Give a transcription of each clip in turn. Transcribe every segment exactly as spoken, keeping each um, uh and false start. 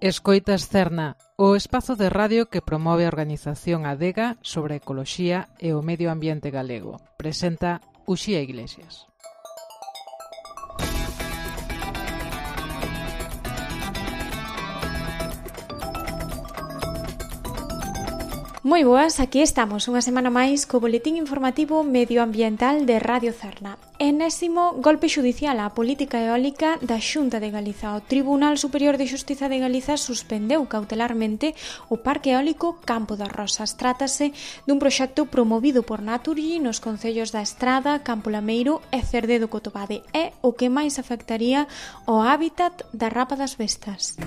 Escoitas Cerna, o espazo de radio que promove a organización Adega sobre a ecoloxía e o medio ambiente galego. Presenta Uxía Iglesias. Moi boas, aquí estamos unha semana máis co boletín informativo medioambiental de Radio Cerna. Enésimo golpe xudicial á política eólica da Xunta de Galiza. O Tribunal Superior de Xustiza de Galiza suspendeu cautelarmente o Parque Eólico Campo das Rosas. Trátase dun proxecto promovido por Naturgy nos concellos da Estrada, Campo Lameiro e Cerdedo Cotobade. É o que máis afectaría o hábitat da rapa das bestas.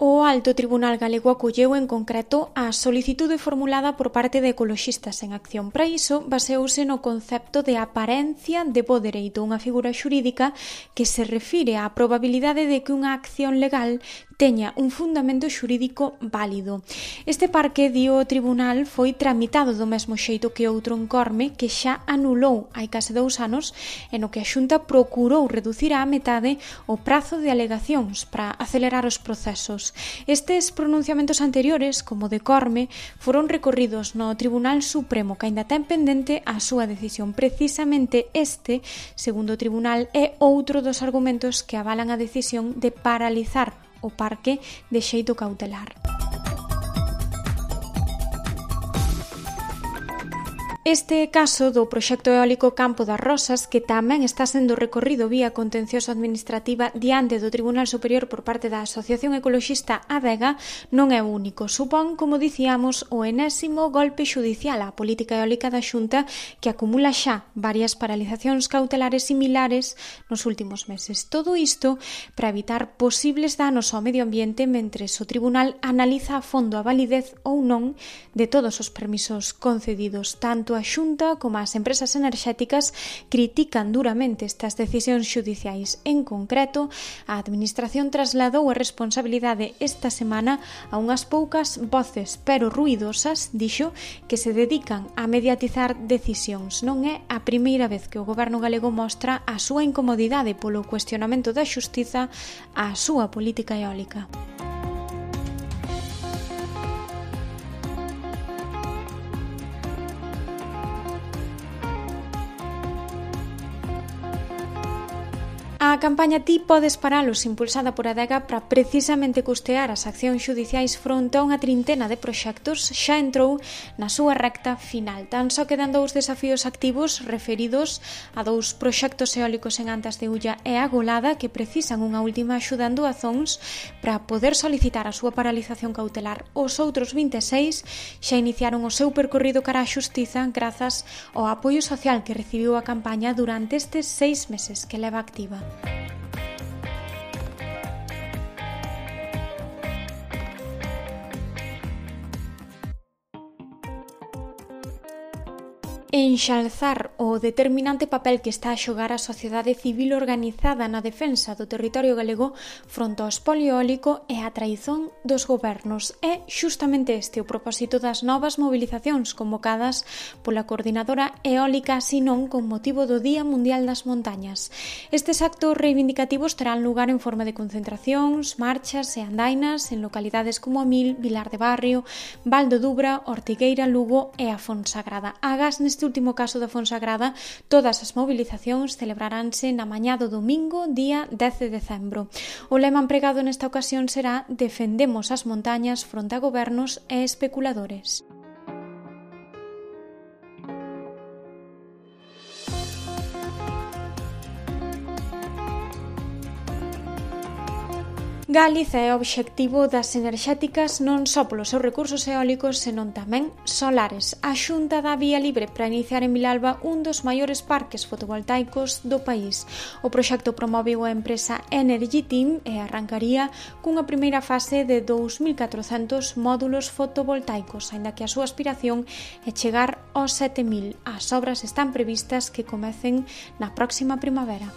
O Alto Tribunal Galego acolleu en concreto a solicitude formulada por parte de Ecoloxistas en Acción. Para iso, baseouse no concepto de aparencia de bo dereito, unha figura xurídica que se refire á probabilidade de que unha acción legal teña un fundamento xurídico válido. Este parque, di o tribunal, foi tramitado do mesmo xeito que outro encorme que xa anulou hai case dous anos e no que a Xunta procurou reducir á metade o prazo de alegacións para acelerar os procesos. Estes pronunciamentos anteriores, como de Corme, foron recorridos no Tribunal Supremo, que aínda ten pendente a súa decisión. Precisamente este, segundo o tribunal, é outro dos argumentos que avalan a decisión de paralizar o parque de xeito cautelar. Este caso do proxecto eólico Campo das Rosas, que tamén está sendo recorrido vía contencioso administrativa diante do Tribunal Superior por parte da Asociación Ecoloxista Adega, non é o único. Supón, como dicíamos, o enésimo golpe xudicial á política eólica da Xunta, que acumula xa varias paralizacións cautelares similares nos últimos meses. Todo isto para evitar posibles danos ao medio ambiente mentres o Tribunal analiza a fondo a validez ou non de todos os permisos concedidos. Tanto a Xunta como as empresas enerxéticas critican duramente estas decisións xudiciais. En concreto, a Administración trasladou a responsabilidade esta semana a unhas poucas voces, pero ruidosas, dixo, que se dedican a mediatizar decisións. Non é a primeira vez que o Goberno galego mostra a súa incomodidade polo cuestionamento da xustiza á súa política eólica. A campaña Ti podes paralos, impulsada por Adega para precisamente custear as accións xudiciais fronte a unha trintena de proxectos, xa entrou na súa recta final. Tan só quedan dous desafíos activos referidos a dous proxectos eólicos en Antas de Ulla e a Golada que precisan unha última axuda en doazóns para poder solicitar a súa paralización cautelar. Os outros vinte e seis xa iniciaron o seu percorrido cara á xustiza grazas ao apoio social que recibiu a campaña durante estes seis meses que leva activa. Enxalzar o determinante papel que está a xogar a sociedade civil organizada na defensa do territorio galego fronte ao espolio eólico e a traizón dos gobernos. É xustamente este o propósito das novas movilizacións convocadas pola Coordinadora Eólica Sinón con motivo do Día Mundial das Montañas. Estes actos reivindicativos terán lugar en forma de concentracións, marchas e andainas en localidades como Amil, Vilar de Barrio, Val do Dubra, Ortigueira, Lugo e a Fonsagrada. Agás neste último caso da Fonsagrada, todas as movilizacións celebraránse na mañá do domingo, día dez de decembro. O lema empregado nesta ocasión será "Defendemos as montañas fronte a gobernos e especuladores". Galiza é o obxectivo das enerxéticas non só polos seus recursos eólicos, senón tamén solares. A Xunta dá vía libre para iniciar en Vilalba un dos maiores parques fotovoltaicos do país. O proxecto promoveu a empresa Energy Team e arrancaría cunha primeira fase de dous mil catrocentos módulos fotovoltaicos, aínda que a súa aspiración é chegar aos sete mil. As obras están previstas que comecen na próxima primavera.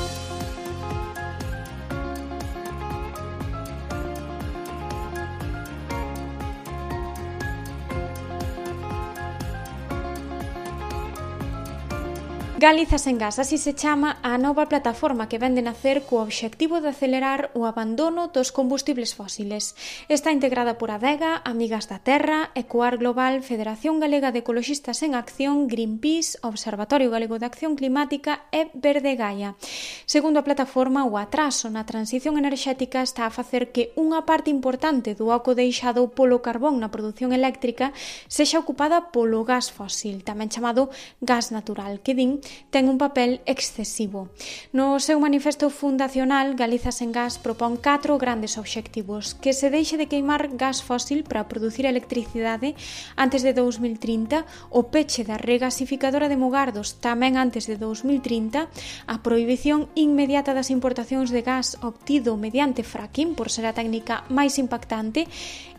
Galiza sen gas, así se chama a nova plataforma que vende nacer co obxectivo de acelerar o abandono dos combustibles fósiles. Está integrada por Adega, Amigas da Terra, Ecoar Global, Federación Galega de Ecoloxistas en Acción, Greenpeace, Observatorio Galego de Acción Climática e Verde Gaia. Segundo a plataforma, o atraso na transición enerxética está a facer que unha parte importante do oco deixado polo carbón na produción eléctrica sexa ocupada polo gas fósil, tamén chamado gas natural, que din ten un papel excesivo. No seu manifesto fundacional, Galiza sen gas propón catro grandes obxectivos: que se deixe de queimar gas fósil para producir electricidade antes de dous mil trinta, o peche da regasificadora de Mugardos tamén antes de dous mil trinta, a prohibición inmediata das importacións de gas obtido mediante fracking por ser a técnica máis impactante,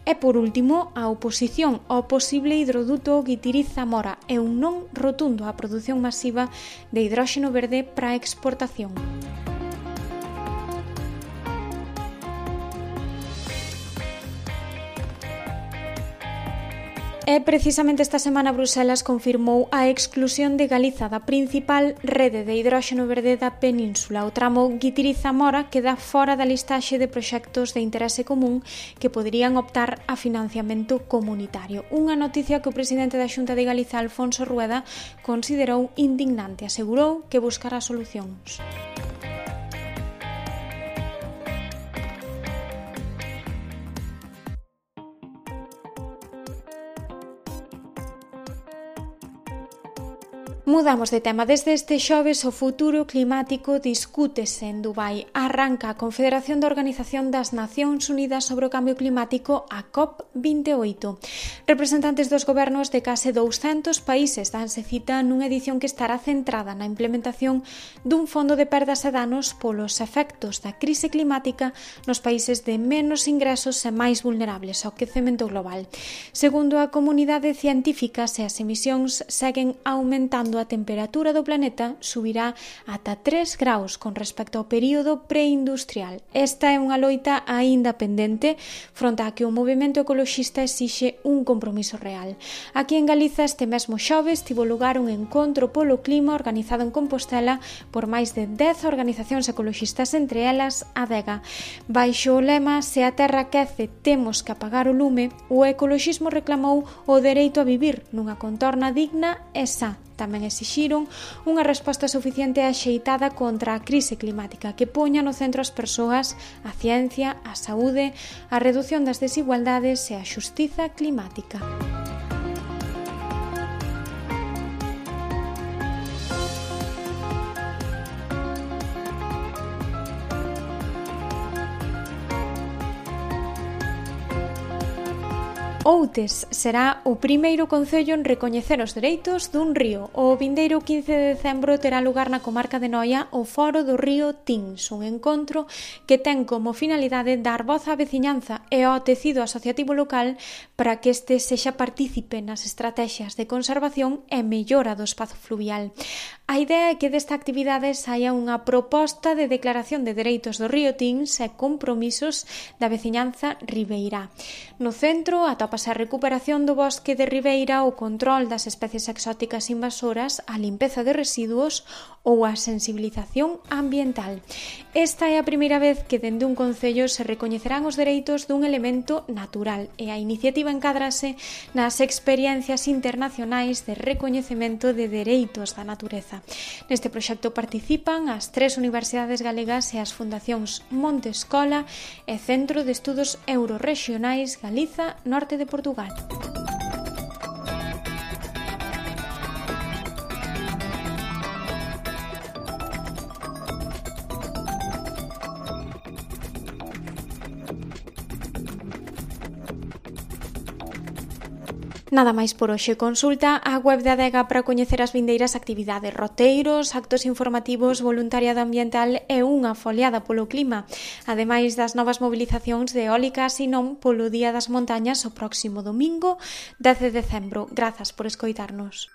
e, por último, a oposición ao posible hidroduto Guitiriz-Zamora e un non rotundo á produción masiva de hidróxeno verde para a exportación. E precisamente esta semana Bruselas confirmou a exclusión de Galiza da principal rede de hidróxeno verde da península. O tramo Guitiriz-Zamora queda fora da listaxe de proxectos de interese común que poderían optar a financiamento comunitario. Unha noticia que o presidente da Xunta de Galiza, Alfonso Rueda, considerou indignante. Asegurou que buscará solucións. Mudamos de tema. Desde este xoves o futuro climático discútese en Dubai. Arranca a Confederación da Organización das Nacións Unidas sobre o Cambio Climático, a COP vinte e oito. Representantes dos gobernos de case douscentos países danse cita nunha edición que estará centrada na implementación dun fondo de perdas e danos polos efectos da crise climática nos países de menos ingresos e máis vulnerables ao quecemento global. Segundo a comunidade científica, se as emisións seguen aumentando, a temperatura do planeta subirá ata tres graus con respecto ao período preindustrial. Esta é unha loita aínda pendente fronte a que o movemento ecoloxista exixe un compromiso real. Aquí en Galiza este mesmo xoves tivo lugar un encontro polo clima organizado en Compostela por máis de dez organizacións ecoloxistas, entre elas Adega. Baixo o lema "Se a terra quece, temos que apagar o lume", o ecoloxismo reclamou o dereito a vivir nunha contorna digna e sa. Tamén exixiron unha resposta suficiente e axeitada contra a crise climática que poña no centro as persoas, a ciencia, a saúde, a redución das desigualdades e a xustiza climática. Outes será o primeiro concello en recoñecer os dereitos dun río. O vindeiro quince de decembro terá lugar na comarca de Noia o Foro do Río Tins, un encontro que ten como finalidade dar voz á veciñanza e ao tecido asociativo local para que este sexa partícipe nas estratexias de conservación e mellora do espazo fluvial. A idea é que desta actividade saia unha proposta de declaración de dereitos do Río Tins e compromisos da veciñanza ribeirá. No centro atópase a recuperación do bosque de ribeira, o control das especies exóticas invasoras, a limpeza de residuos ou a sensibilización ambiental. Esta é a primeira vez que dende un concello se recoñecerán os dereitos dun elemento natural e a iniciativa encádrase nas experiencias internacionais de recoñecemento de dereitos da natureza. Neste proxecto participan as tres universidades galegas e as fundacións Monte Escola e Centro de Estudos Eurorrexionais Galiza, Norte de Portugal. Nada máis por hoxe. Consulta a web de Adega para coñecer as vindeiras actividades, roteiros, actos informativos, voluntariado ambiental e unha foliada polo clima, ademais das novas mobilizacións de eólicas e non polo Día das Montañas o próximo domingo, dez de decembro. Grazas por escoitarnos.